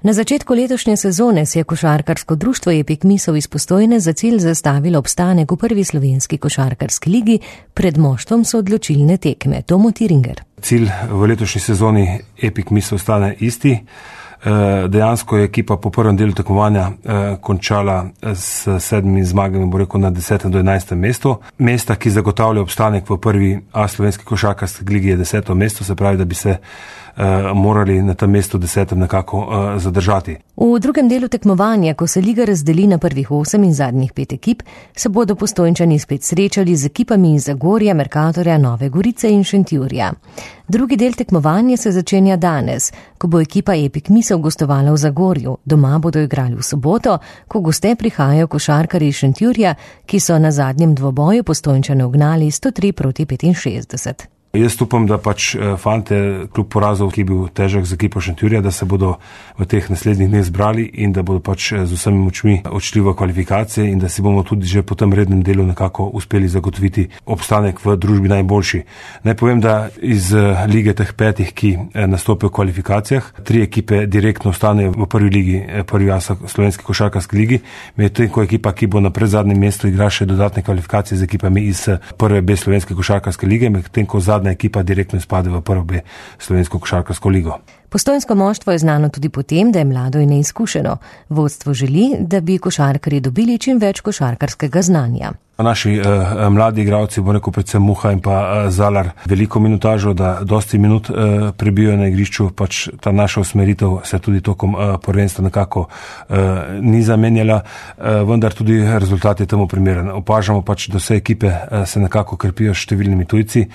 Na začetku letošnje sezone si je košarkarsko društvo Epik Misel iz Postojne za cilj zastavilo obstanek v prvi slovenski košarkarski ligi, pred moštvom so odločilne tekme. Tomo Tiringer. Cilj v letošnji sezoni Epik Misel ostane isti. Dejansko je ekipa po prvem delu tekmovanja končala s 7 zmagami, bo rekel, na 10. do 11. mestu. Mesta, ki zagotavlja obstanek v prvi A slovenski košarkarski ligi, je 10. mesto, se pravi, da bi se morali na tem mestu 10. nekako zadržati. V drugem delu tekmovanja, ko se liga razdeli na prvih 8 in zadnjih 5 ekip, se bodo Postojnčani spet srečali z ekipami iz Zagorja, Mercatorja, Nove Gorice in Šentjurja. Drugi del tekmovanja se začenja danes, ko bo ekipa Epik Misel gostovala v Zagorju. Doma bodo igrali v soboto, ko goste prihajajo košarkarji iz Šentjurja, ki so na zadnjem dvoboju Postojnčane ugnali 103-65. Jaz upam, da fante kljub porazov, ki je bil težak za ekipo Šentjurja, da se bodo v teh naslednjih dneh zbrali in da bodo z vsemi močmi odšli v kvalifikacije in da si bomo tudi že po tem rednem delu nekako uspeli zagotoviti obstanek v družbi najboljši. Naj povem, da iz lige teh 5, ki nastopijo v kvalifikacijah, 3 ekipe direktno ostanejo v prvi ligi, prvi A slovenski košarkarski ligi, medtem ko ekipa, ki bo na predzadnjem mestu, igra še dodatne kvalifikacije z ekipami iz prve B slovenske košarkarske lige, medtem ko zadnja ekipa direktno izpade v prvo B slovensko košarkarsko ligo. Postojnsko moštvo je znano tudi po tem, da je mlado in neizkušeno. Vodstvo želi, da bi košarkarji dobili čim več košarkarskega znanja. Naši mladi igralci, bo rekel predvsem Muha in pa Zalar, veliko minutažo, da dosti minut prebijo na igrišču, ta naša usmeritev se tudi tokom prvenstva nekako ni zamenjala, vendar tudi rezultat je temu primeren. Opažamo da vse ekipe se nekako krepijo s številnimi tujci.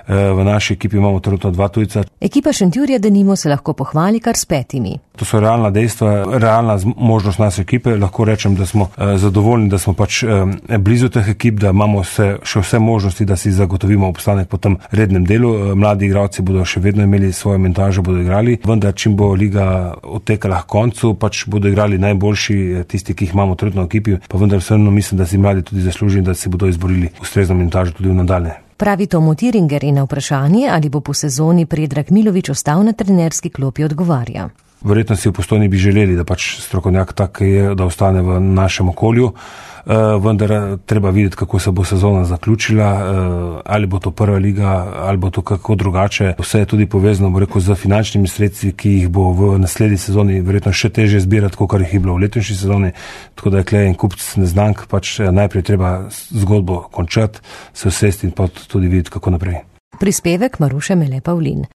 V naši ekipi imamo trenutno 2 tujca. Ekipa Šentjurja denimo se lahko pohvali kar s 5. To so realna dejstva, realna možnost naše ekipe. Lahko rečem, da smo zadovoljni, da smo blizu teh ekip, da imamo še vse možnosti, da si zagotovimo obstanek po tem rednem delu. Mladi igralci bodo še vedno imeli svojo minutažo, bodo igrali, vendar čim bo liga odtekala k koncu, bodo igrali najboljši, tisti, ki jih imamo trenutno v ekipi, pa vendar vseeno mislim, da si mladi tudi zaslužili, da si bodo izborili ustrezno minutažo tudi v nadaljnje. Pravi Tomo Tiringer in na vprašanje, ali bo po sezoni Predrag Milović ostal na trenerski klopi, odgovarja. Verjetno si v Postojni bi želeli, da strokovnjak tak je, da ostane v našem okolju, vendar treba videti, kako se bo sezona zaključila, ali bo to prva liga, ali bo to kako drugače. Vse je tudi povezano, bo rekel, z finančnimi sredstvi, ki jih bo v naslednji sezoni verjetno še težje zbirati, kot jih je bilo v letošnji sezoni, tako da je klej en kupc neznank, najprej treba zgodbo končati, se usesti in tudi videti, kako naprej. Prispevek Maruše Mele Pavlin.